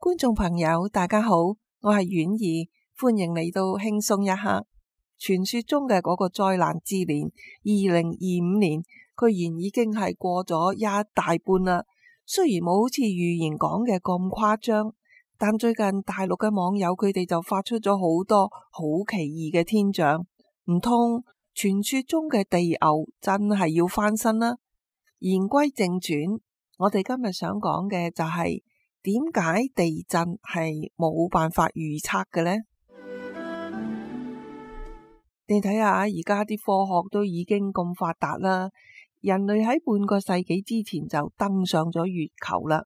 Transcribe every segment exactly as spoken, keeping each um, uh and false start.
觀眾朋友大家好，我係婉兒，歡迎嚟到輕鬆一刻。傳說中嘅嗰個災難之年二零二五年，居然已經係過咗一大半啦。雖然冇好似預言講嘅咁誇張，但最近大陸嘅網友佢哋就發出咗好多好奇異嘅天象，唔通傳說中嘅地牛真係要翻身啦？言歸正傳，我哋今日想講嘅就係點解地震係冇辦法預測嘅呢？你睇下而家啲科學都已經咁發達啦，人類喺半個世紀之前就登上咗月球啦，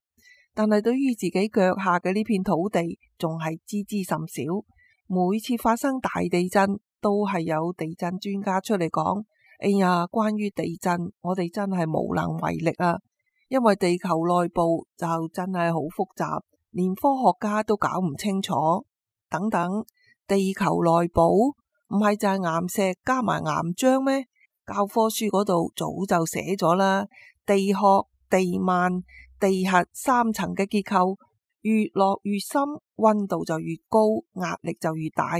但係對於自己腳下嘅呢片土地仲係知之甚少。每次發生大地震都係有地震專家出嚟講，哎呀，關於地震我哋真係無能為力啊，因為地球內部就真係好複雜，連科學家都搞唔清楚。等等，地球內部唔係就係岩石加埋岩漿咩？教科書嗰度早就寫咗啦，地殼、地幔、地核三層嘅結構，越落越深，溫度就越高，壓力就越大，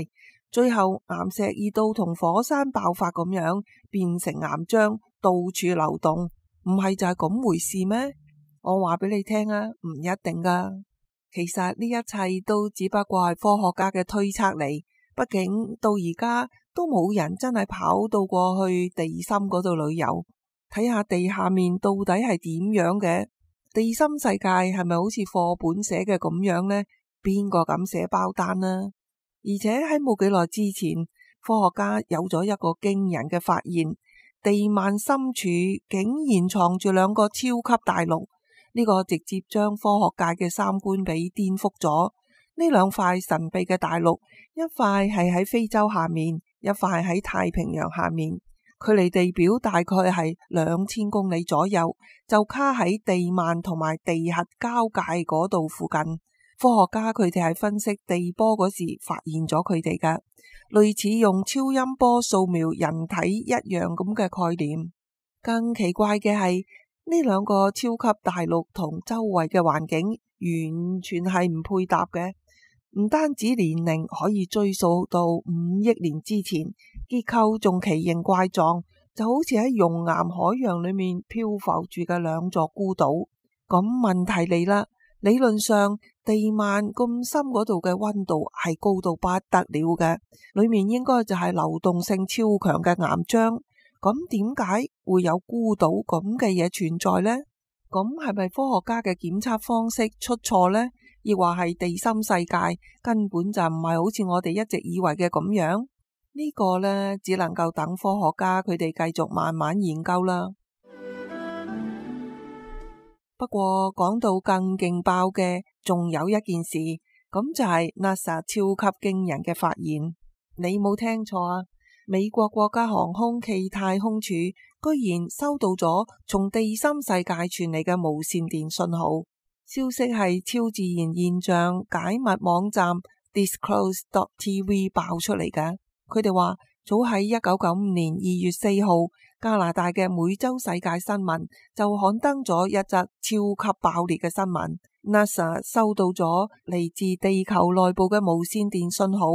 最後岩石熱到同火山爆發咁樣，變成岩漿到處流動，唔係就係咁回事咩？我話俾你聽啊，唔一定噶。其實呢一切都只不過係科學家嘅推測嚟。畢竟到而家都冇人真係跑到過去地心嗰度旅遊，睇下地下面到底係點樣嘅。地心世界係咪好似課本寫嘅咁樣呢？邊個敢寫包單呢？而且喺冇幾耐之前，科學家有咗一個驚人嘅發現，地幔深處竟然藏住兩個超級大陸。呢個直接將科學界嘅三觀俾顛覆咗。呢兩塊神秘嘅大陸，一塊係喺非洲下面，一塊喺太平洋下面，距離地表大概係兩千公里左右，就卡喺地幔同埋地核交界嗰度附近。科學家佢哋係分析地波嗰時發現咗佢哋嘅，類似用超音波掃描人體一樣咁嘅概念。更奇怪嘅係，呢兩個超級大陸同周圍嘅環境完全係唔配搭嘅。唔單止年齡可以追溯到五億年之前，結構仲奇形怪狀，就好似喺熔岩海洋裏面漂浮住嘅兩座孤島。咁問題嚟啦，理論上地幔咁深嗰度嘅溫度係高到不得了嘅，裏面應該就係流動性超強嘅岩漿。咁點解會有孤島咁嘅嘢存在呢？咁係咪科學家嘅檢測方式出錯呢？亦或係地心世界根本就唔係好似我哋一直以為嘅咁樣？呢個呢，只能夠等科學家佢哋繼續慢慢研究啦。不過講到更勁爆嘅，仲有一件事，咁就係 NASA 超級驚人嘅發現。你冇聽錯啊！美國國家航空暨太空署居然收到咗從地心世界傳嚟嘅無線電信號。消息係超自然現象解密網站 Disclose dot T V 爆出嚟嘅。佢哋話早喺一九九五年二月四號，加拿大嘅每周世界新聞就刊登咗一則超級爆裂嘅新聞。NASA 收到咗嚟自地球內部嘅無線電信號。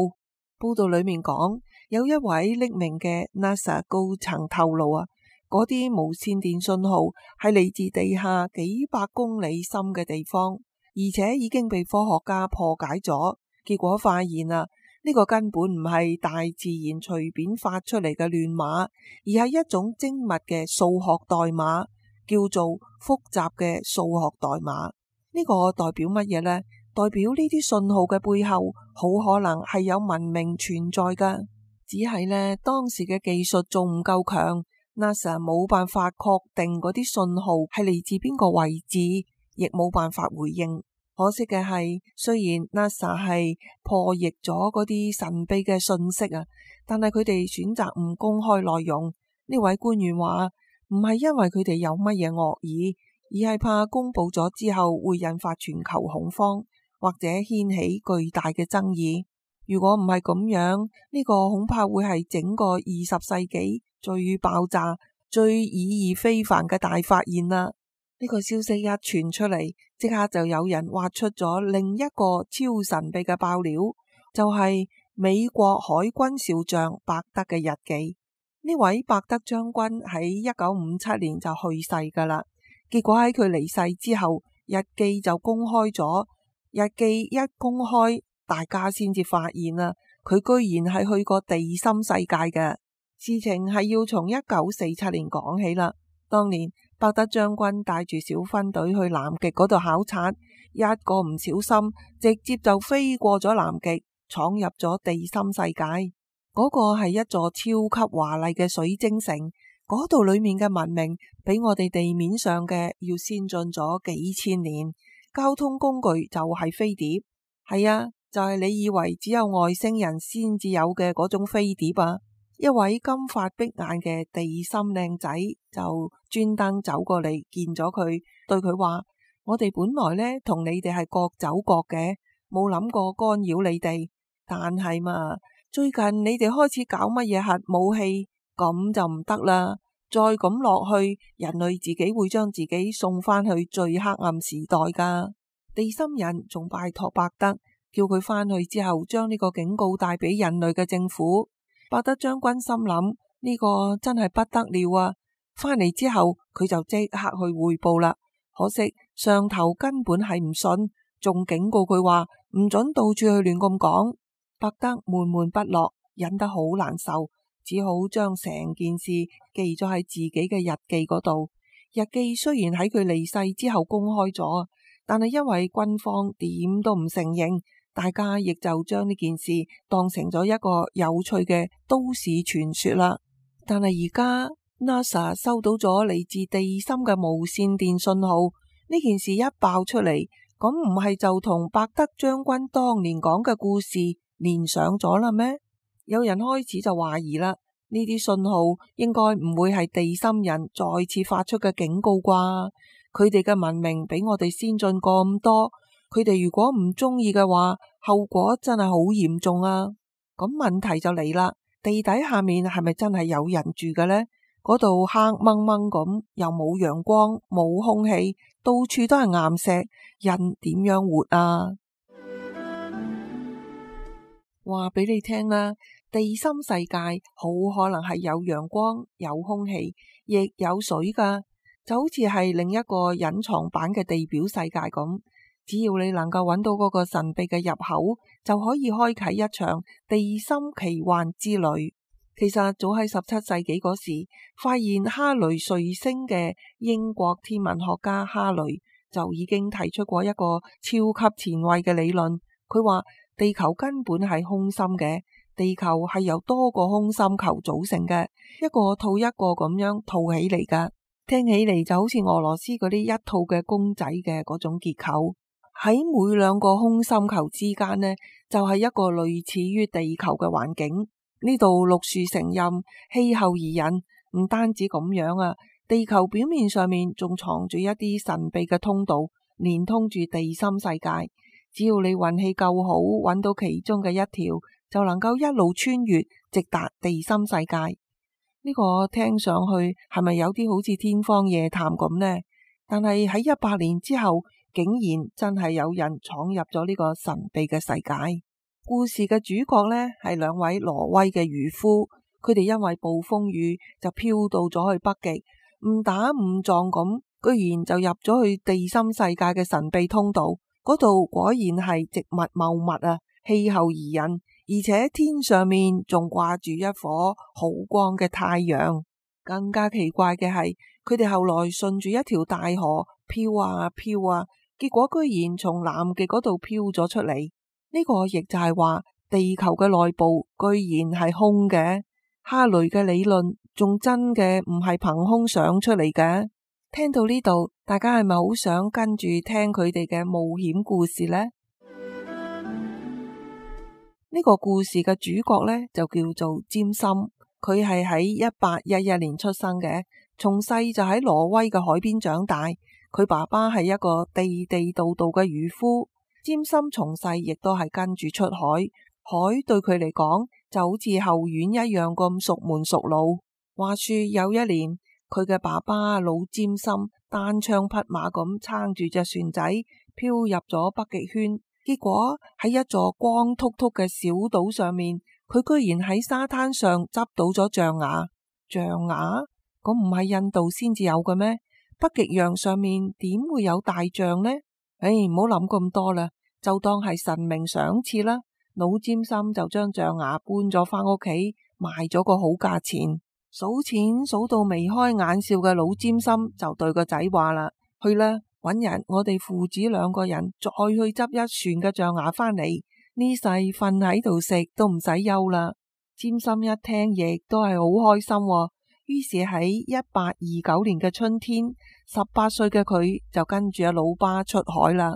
報道裏面講，有一位匿名嘅 NASA 高層透露啊，嗰啲無線電信號係嚟自地下幾百公里深嘅地方，而且已經被科學家破解咗。結果發現啊，呢個根本唔係大自然隨便發出嚟嘅亂碼，而係一種精密嘅數學代碼，叫做複雜嘅數學代碼。呢個代表乜嘢呢？代表呢啲信號嘅背後好可能係有文明存在㗎，只係呢，當時嘅技術仲唔夠強。NASA 冇辦法確定嗰啲信號係嚟自邊個位置，亦冇辦法回應。可惜嘅係，雖然 NASA 係破譯咗嗰啲神秘嘅信息啊，但係佢哋選擇唔公開內容。呢位官員話，唔係因為佢哋有乜嘢惡意，而係怕公布咗之後會引發全球恐慌，或者掀起巨大嘅爭議。如果唔係咁樣，呢個恐怕會係整個二十世紀最爆炸、最意義非凡嘅大發現啦！呢個消息一傳出嚟，即刻就有人挖出咗另一個超神秘嘅爆料，就係美國海軍少將伯德嘅日記。呢位伯德將軍喺一九五七年就去世噶啦，結果喺佢離世之後，日記就公開咗。日記一公開，大家先至發現啦，佢居然係去過地心世界嘅。事情係要從一九四七年講起啦。當年伯德將軍帶住小分隊去南極嗰度考察，一個唔小心，直接就飛過咗南極，闖入咗地心世界。嗰個係一座超級華麗嘅水晶城，嗰度裏面嘅文明比我哋地面上嘅要先進咗幾千年。交通工具就係飛碟，係啊，就係你以為只有外星人先至有嘅嗰種飛碟啊！一位金髮碧眼嘅地心靚仔就專登走過嚟見咗佢，對佢話：我哋本來呢同你哋係各走各嘅，冇諗過干擾你哋，但係嘛，最近你哋開始搞乜嘢核武器，咁就唔得啦！再咁落去，人類自己會將自己送返去最黑暗時代噶。地心人仲拜託伯德，叫佢返去之後將呢個警告帶俾人類嘅政府。伯德將軍心諗呢個真係不得了啊！返嚟之後佢就即刻去匯報啦。可惜上頭根本係唔信，仲警告佢話唔准到處去亂咁講。伯德悶悶不樂，忍得好難受，只好將成件事記咗喺自己嘅日記嗰度。日記雖然喺佢離世之後公開咗，但係因為軍方點都唔承認，大家亦就將呢件事當成咗一個有趣嘅都市傳說啦。但係而家 NASA 收到咗嚟自地心嘅無線電信號，呢件事一爆出嚟，咁唔係就同伯德將軍當年講嘅故事連上咗啦咩？有人開始就懷疑啦，呢啲信號應該唔會係地心人再次發出嘅警告啩？佢哋嘅文明比我哋先進咁多，佢哋如果唔中意嘅話，後果真係好嚴重啊！咁問題就嚟啦，地底下面係咪真係有人住嘅呢？嗰度黑掹掹咁，又冇陽光，冇空氣，到處都係岩石，人點樣活啊？話俾你聽啦，地心世界好可能係有陽光、有空氣，亦有水噶，就好似係另一個隱藏版嘅地表世界咁。只要你能夠揾到嗰個神秘嘅入口，就可以開啟一場地心奇幻之旅。其實早喺十七世紀嗰時，發現哈雷彗星嘅英國天文學家哈雷就已經提出過一個超級前衛嘅理論。佢話地球根本係空心嘅，地球係由多個空心球組成嘅，一個套一個咁樣套起嚟噶。聽起嚟就好似俄羅斯嗰啲一套嘅公仔嘅嗰種結構。喺每兩個空心球之間呢，就係一個類似於地球嘅環境。呢度綠樹成蔭，氣候宜人。唔單止咁樣啊，地球表面上面仲藏住一啲神秘嘅通道，連通住地心世界。只要你運氣夠好，揾到其中嘅一條，就能夠一路穿越，直達地心世界。呢個聽上去係咪有啲好似天方夜譚咁呢？但係喺一百年之後，竟然真係有人闖入咗呢個神秘嘅世界。故事嘅主角呢，係兩位挪威嘅漁夫，佢哋因為暴風雨就飄到咗去北極，誤打誤撞咁，居然就入咗去地心世界嘅神秘通道。嗰度果然係植物茂密啊，氣候宜人，而且天上面仲掛住一顆好光嘅太陽。更加奇怪嘅係，佢哋後來順住一條大河飄啊飄啊，結果居然從南極嗰度飄咗出嚟。呢個亦就係話地球嘅內部居然係空嘅。哈雷嘅理論仲真嘅唔係憑空想出嚟嘅。聽到呢度，大家係咪好想跟住聽佢哋嘅冒險故事呢？呢個故事嘅主角呢，就叫做詹森，佢係喺一八一一年出生嘅，從細就喺挪威嘅海邊長大。佢爸爸係一個地地道道嘅漁夫。詹森從細亦都係跟住出海，海對佢嚟講就好似後院一樣咁熟門熟路。話說有一年，佢嘅爸爸老占心單槍匹馬咁撐住隻船仔漂入咗北極圈，結果喺一座光禿禿嘅小島上面，佢居然喺沙灘上執到咗象牙。象牙？咁唔係印度先至有嘅咩？北極洋上面點會有大象呢？唉，唔好諗咁多啦，就當係神明賞賜啦。老占心就將象牙搬咗返屋企，賣咗個好價錢。數錢數到眉開眼笑嘅老占心就對個仔話啦：去啦，搵人，我哋父子兩個人再去執一船嘅象牙返嚟，呢世瞓喺度食都唔使憂啦。占心一聽亦都係好開心喎，於是喺一八二九年嘅春天，十八歲嘅佢就跟住阿老爸出海啦。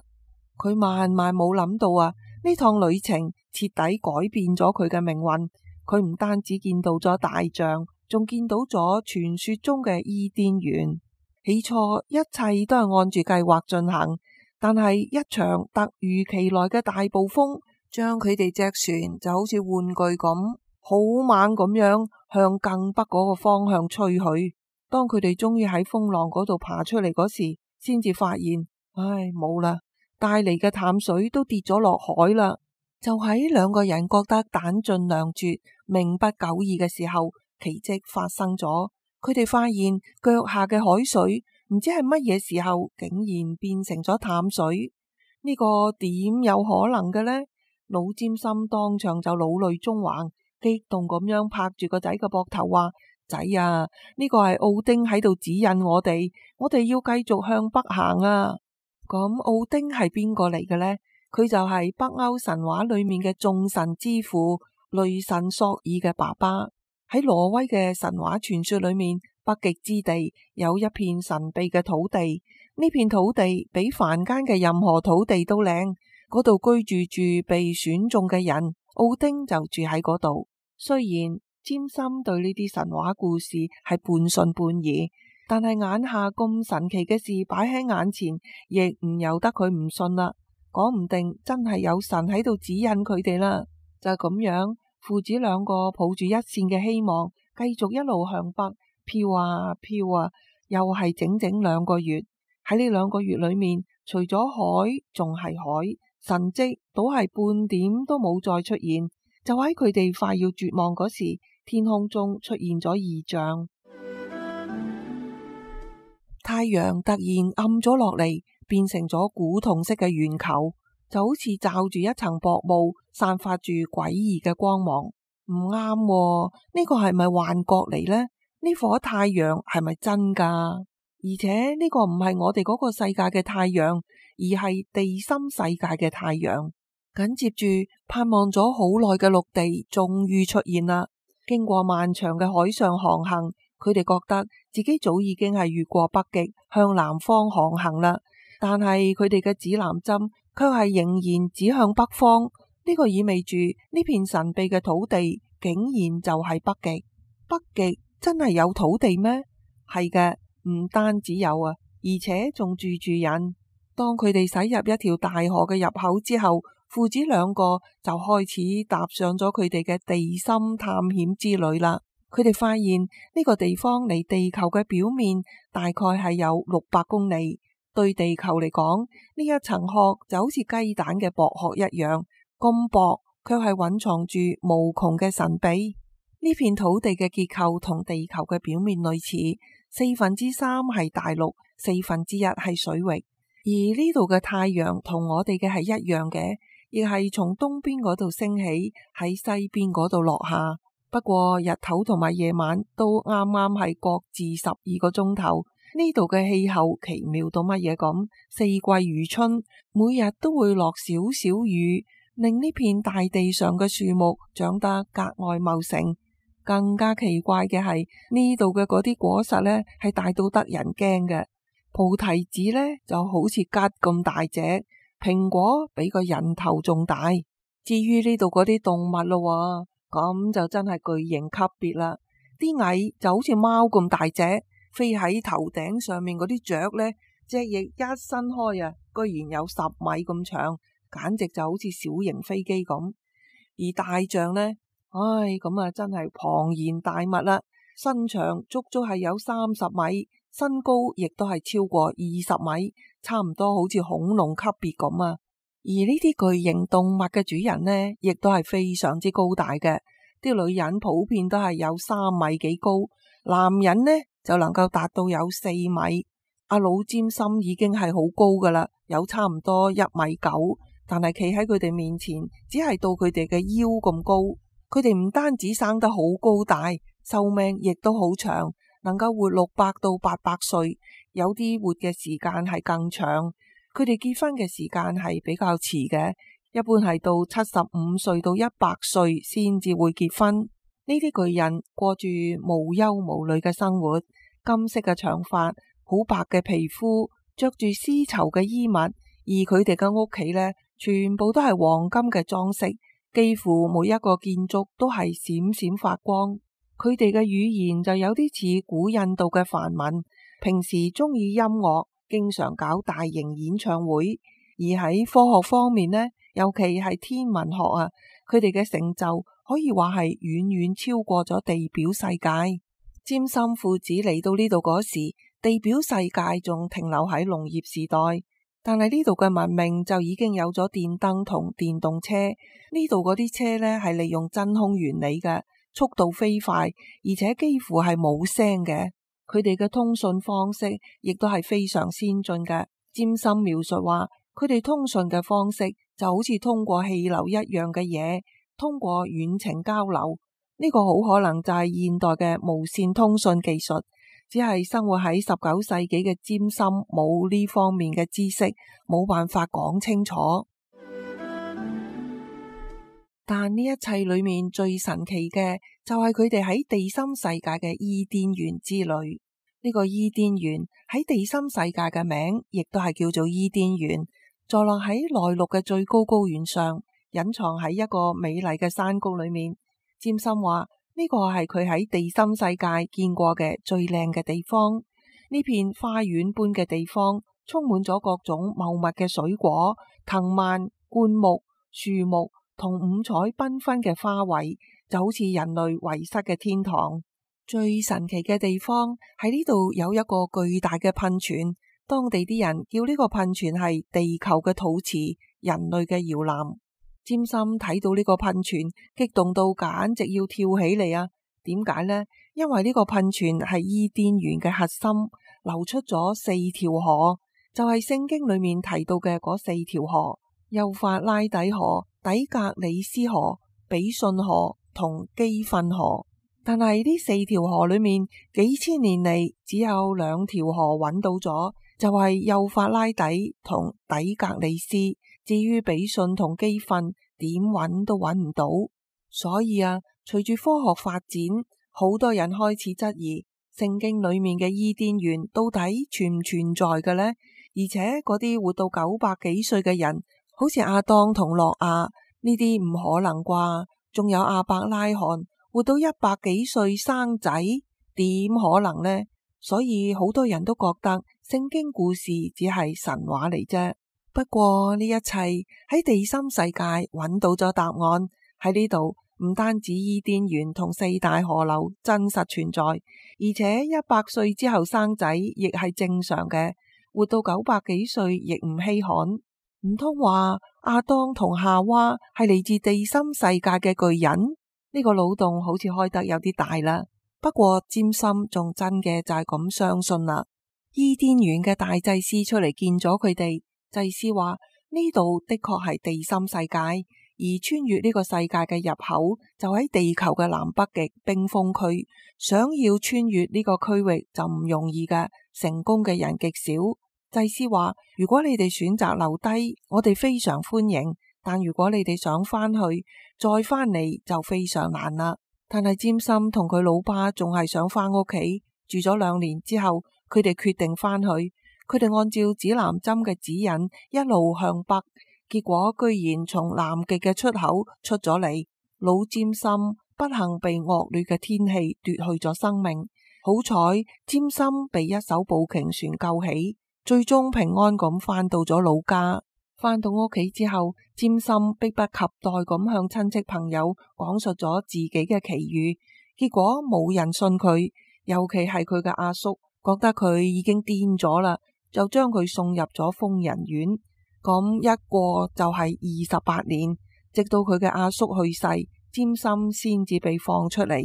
佢萬萬冇諗到啊，呢趟旅程徹底改變咗佢嘅命運。佢唔單止見到咗大象，仲見到咗傳說中嘅伊甸園。起初一切都係按住計劃進行，但係一場突如其來嘅大暴風，將佢哋隻船就好似玩具咁，好猛咁樣向更北嗰個方向吹去。當佢哋終於喺風浪嗰度爬出嚟嗰時，先至發現，唉，冇啦，帶嚟嘅淡水都跌咗落海啦。就喺兩個人覺得彈盡糧絕、命不久矣嘅時候，奇蹟發生咗。佢哋發現腳下嘅海水唔知係乜嘢時候竟然變成咗淡水。呢個點有可能嘅呢？老占心當場就老淚縱橫，激動咁樣拍住個仔嘅膊頭話：仔啊，呢個係奧丁喺度指引我哋，我哋要繼續向北行啊！咁奧丁係邊個嚟嘅呢？佢就係北歐神話裏面嘅眾神之父雷神索爾嘅爸爸。喺挪威嘅神話傳說裏面，北極之地有一片神秘嘅土地，呢片土地比凡間嘅任何土地都靚，嗰度居住住被選中嘅人，奧丁就住喺嗰度。雖然占心對呢啲神話故事係半信半疑，但係眼下咁神奇嘅事擺喺眼前，亦唔由得佢唔信啦。講唔定真係有神喺度指引佢哋啦。就係咁樣，父子兩個抱住一線嘅希望，繼續一路向北飄啊飄啊，又係整整兩個月。喺呢兩個月裏面，除咗海仲係海，神跡倒係半點都冇再出現。就喺佢哋快要絕望嗰時，天空中出現咗異象，太陽突然暗咗落嚟，變成咗古銅色嘅圓球，就好似罩住一層薄霧，散發住詭異嘅光芒。唔啱喎，呢個係咪幻覺嚟呢？呢顆太陽係咪真噶？而且呢個唔係我哋嗰個世界嘅太陽，而係地心世界嘅太陽。緊接住，盼望咗好耐嘅陸地終於出現啦。經過漫長嘅海上航行，佢哋覺得自己早已經係越過北極向南方航行啦。但係佢哋嘅指南針卻係仍然指向北方。呢個意味住呢片神秘嘅土地竟然就係北極。北極真係有土地咩？係嘅，唔單止有啊，而且仲住住人。當佢哋駛入一條大河嘅入口之後，父子兩個就開始踏上咗佢哋嘅地心探險之旅啦。佢哋發現呢個地方離地球嘅表面大概係有六百公里。對地球嚟講，呢一層殼就好似雞蛋嘅薄殼一樣，咁薄，卻係蘊藏住無窮嘅神秘。呢片土地嘅結構同地球嘅表面類似，四分之三係大陸，四分之一係水域。而呢度嘅太陽同我哋嘅係一樣嘅，亦係從東邊嗰度升起，喺西邊嗰度落下。不過日頭同埋夜晚都啱啱係各自十二個鐘頭。呢度嘅氣候奇妙到乜嘢咁，四季如春，每日都會落少少雨，令呢片大地上嘅樹木長得格外茂盛。更加奇怪嘅係呢度嘅嗰啲果實呢，係大到得人驚嘅。菩提子呢就好似桔咁大隻，蘋果比個人頭仲大。至於呢度嗰啲動物咯，咁就真係巨型級別啦。啲蟻就好似貓咁大隻，飛喺頭頂上面嗰啲雀呢，隻翼一伸開啊，居然有十米咁長，簡直就好似小型飛機咁。而大象呢，唉，咁啊真係龐然大物啦，身長足足係有三十米，身高亦都係超過二十米，差唔多好似恐龍級別咁啊！而呢啲巨型動物嘅主人呢，亦都係非常之高大嘅。啲女人普遍都係有三米幾高，男人呢就能夠達到有四米。阿老占森已經係好高噶啦，有差唔多一米九，但係企喺佢哋面前，只係到佢哋嘅腰咁高。佢哋唔單止生得好高大，壽命亦都好長，能夠活六百到八百歲，有啲活嘅時間係更長。佢哋結婚嘅時間係比較遲嘅，一般係到七十五歲到一百歲先至會結婚。呢啲巨人過住無憂無慮嘅生活，金色嘅長髮，好白嘅皮膚，着住絲綢嘅衣物，而佢哋嘅屋企呢，全部都係黃金嘅裝飾，幾乎每一個建築都係閃閃發光。佢哋嘅語言就有啲似古印度嘅梵文，平時中意音樂，經常搞大型演唱會。而喺科學方面呢，尤其係天文學啊，佢哋嘅成就可以話係遠遠超過咗地表世界。占森父子嚟到呢度嗰時，地表世界仲停留喺農業時代，但係呢度嘅文明就已經有咗電燈同電動車。呢度嗰啲車呢係利用真空原理嘅，速度飛快，而且幾乎係冇聲嘅。佢哋嘅通訊方式亦都係非常先進嘅。占森描述話，佢哋通訊嘅方式就好似通過氣流一樣嘅嘢，通過遠程交流。呢個好可能就係現代嘅無線通訊技術，只係生活喺十九世紀嘅占森冇呢方面嘅知識，冇辦法講清楚。但呢一切裏面最神奇嘅就係佢哋喺地心世界嘅伊甸園之旅。呢個伊甸園喺地心世界嘅名亦都係叫做伊甸園，坐落喺內陸嘅最高高原上，隱藏喺一個美麗嘅山谷裏面。占森話呢個係佢喺地心世界見過嘅最靚嘅地方。呢片花園般嘅地方充滿咗各種茂密嘅水果、藤蔓、灌木、樹木同五彩繽紛嘅花卉，就好似人類遺失嘅天堂。最神奇嘅地方喺呢度有一個巨大嘅噴泉，當地啲人叫呢個噴泉係地球嘅肚臍，人類嘅搖籃。占森睇到呢個噴泉，激動到簡直要跳起嚟啊！點解呢？因為呢個噴泉係伊甸園嘅核心，流出咗四條河，就係聖經裏面提到嘅嗰四條河：幼發拉底河、底格里斯河、比遜河同基訓河。但係呢四條河裏面，幾千年嚟只有兩條河揾到咗，就係幼發拉底同底格里斯。至於比遜同基訓，點揾都揾唔到。所以啊，隨住科學發展，好多人開始質疑聖經裏面嘅伊甸園到底存唔存在嘅呢？而且嗰啲活到九百幾歲嘅人，好似亞當同諾亞，呢啲唔可能啩？仲有亞伯拉罕活到一百幾歲生仔，點可能呢？所以好多人都覺得聖經故事只係神話嚟啫。不過呢一切喺地心世界揾到咗答案。喺呢度唔單止伊甸園同四大河流真實存在，而且一百歲之後生仔亦係正常嘅，活到九百幾歲亦唔稀罕。唔通話亞當同夏娃係嚟自地心世界嘅巨人？呢個腦洞好似開得有啲大啦。不過占森仲真嘅就係咁相信啦。伊甸園嘅大祭司出嚟見咗佢哋。祭司話呢度的確係地心世界，而穿越呢個世界嘅入口就喺地球嘅南北極冰封區。想要穿越呢個區域就唔容易嘅，成功嘅人極少。祭司話如果你哋選擇留低，我哋非常歡迎；但如果你哋想翻去再翻嚟就非常難啦。但係占森同佢老爸仲係想翻屋企。住咗兩年之後，佢哋決定翻去。佢哋按照指南針嘅指引一路向北，結果居然從南極嘅出口出咗嚟。老占森不幸被惡劣嘅天氣奪去咗生命，好彩占森被一艘捕鯨船救起，最終平安咁返到咗老家。返到屋企之後，占森迫不及待咁向親戚朋友講述咗自己嘅奇遇。結果冇人信佢，尤其係佢嘅阿叔，覺得佢已經癲咗啦，就將佢送入咗瘋人院。咁一過就係二十八年，直到佢嘅阿叔去世，詹森先至被放出嚟。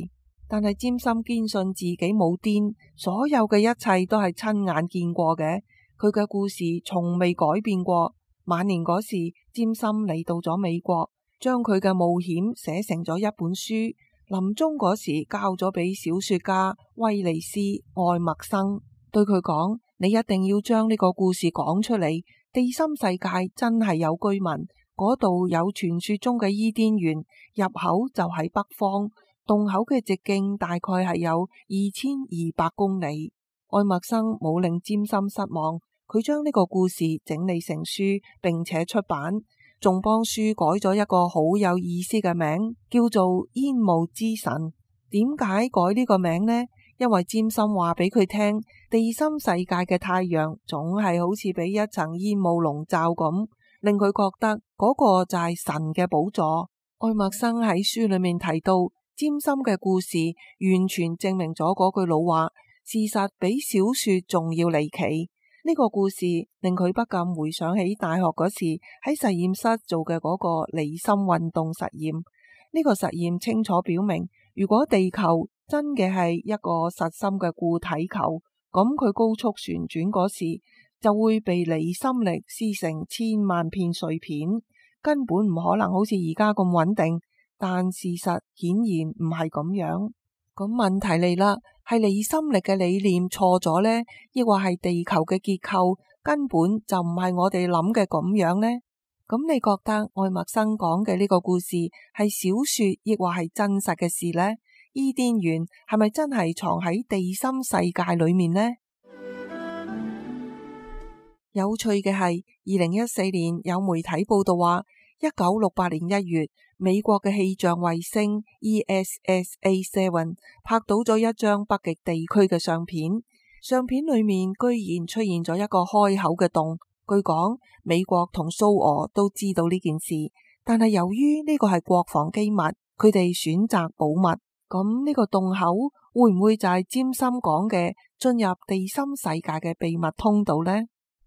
但係詹森堅信自己冇癲，所有嘅一切都係親眼見過嘅，佢嘅故事從未改變過。晚年嗰時，詹森嚟到咗美國，將佢嘅冒險寫成咗一本書，臨終嗰時交咗俾小說家威利斯愛默生，對佢講：你一定要將呢個故事講出嚟。地心世界真係有居民，嗰度有傳說中嘅伊甸園，入口就喺北方，洞口嘅直徑大概係有二千二百公里。愛默生冇令詹森失望，佢將呢個故事整理成書，並且出版，仲幫書改咗一個好有意思嘅名，叫做煙霧之神。點解改呢個名呢？因為詹森話俾佢聽，地心世界嘅太陽總係好似俾一層煙霧籠罩咁，令佢覺得嗰個就係神嘅寶座。愛默生喺書裏面提到，詹森嘅故事完全證明咗嗰句老話，事實比小說仲要離奇。呢個故事令佢不禁回想起大學嗰時喺實驗室做嘅嗰個離心運動實驗。呢個實驗清楚表明，如果地球真嘅係一個實心嘅固體球，咁佢高速旋轉嗰時就會被離心力撕成千萬片碎片，根本唔可能好似而家咁穩定。但事實顯然唔係咁樣。咁問題嚟啦，係離心力嘅理念錯咗呢？抑或係地球嘅結構根本就唔係我哋諗嘅咁樣呢？咁你覺得愛默生講嘅呢個故事係小說，抑或係真實嘅事呢？伊甸園係咪真係藏喺地心世界裏面呢？有趣嘅係，二零一四年有媒體報道話，一九六八年一月，美國嘅氣象衛星 E S S A 七拍到咗一張北極地區嘅相片，相片裏面居然出現咗一個開口嘅洞。據講，美國同蘇俄都知道呢件事，但係由於呢個係國防機密，佢哋選擇保密。咁呢個洞口會唔會就係詹森講嘅進入地心世界嘅秘密通道呢？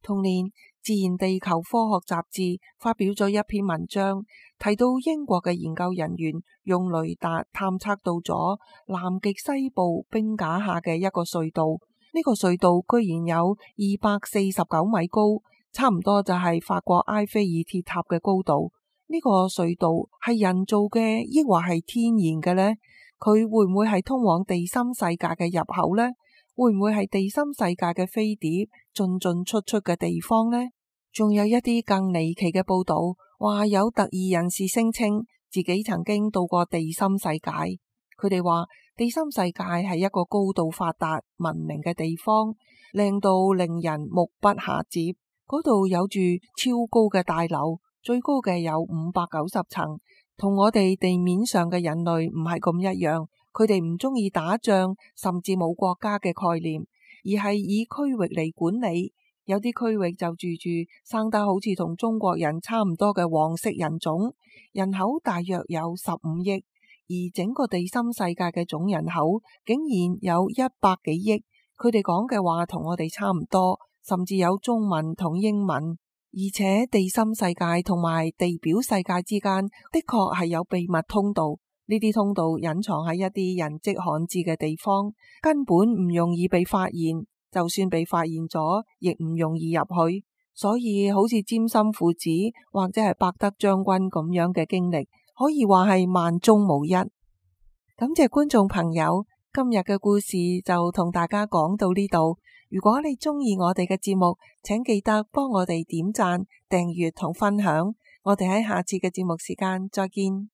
同年，《自然地球科學雜誌》發表咗一篇文章，提到英國嘅研究人員用雷達探測到咗南極西部冰架下嘅一個隧道。呢個隧道居然有二百四十九米高，差唔多就係法國埃菲爾鐵塔嘅高度。呢個隧道係人造嘅，抑或係天然嘅呢？佢會唔會係通往地心世界嘅入口呢？會唔會係地心世界嘅飛碟進進出出嘅地方呢？仲有一啲更離奇嘅報道，話有特異人士聲稱自己曾經到過地心世界。佢哋話地心世界係一個高度發達文明嘅地方，靚到令人目不暇接。嗰度有住超高嘅大樓，最高嘅有五百九十層。同我哋地面上嘅人類唔係咁一樣，佢哋唔中意打仗，甚至冇國家嘅概念，而係以區域嚟管理。有啲區域就住住生得好似同中國人差唔多嘅黃色人種，人口大約有十五億，而整個地心世界嘅總人口竟然有一百幾億。佢哋講嘅話同我哋差唔多，甚至有中文同英文。而且地心世界同埋地表世界之間的確係有秘密通道，呢啲通道隱藏喺一啲人跡罕至嘅地方，根本唔容易被發現，就算被發現咗，亦唔容易入去。所以好似詹森父子或者係伯德將軍咁樣嘅經歷，可以話係萬中無一。感謝觀眾朋友，今日嘅故事就同大家講到呢度。如果你鍾意我哋嘅節目，請記得幫我哋點讚、訂閱同分享。我哋喺下次嘅節目時間再見。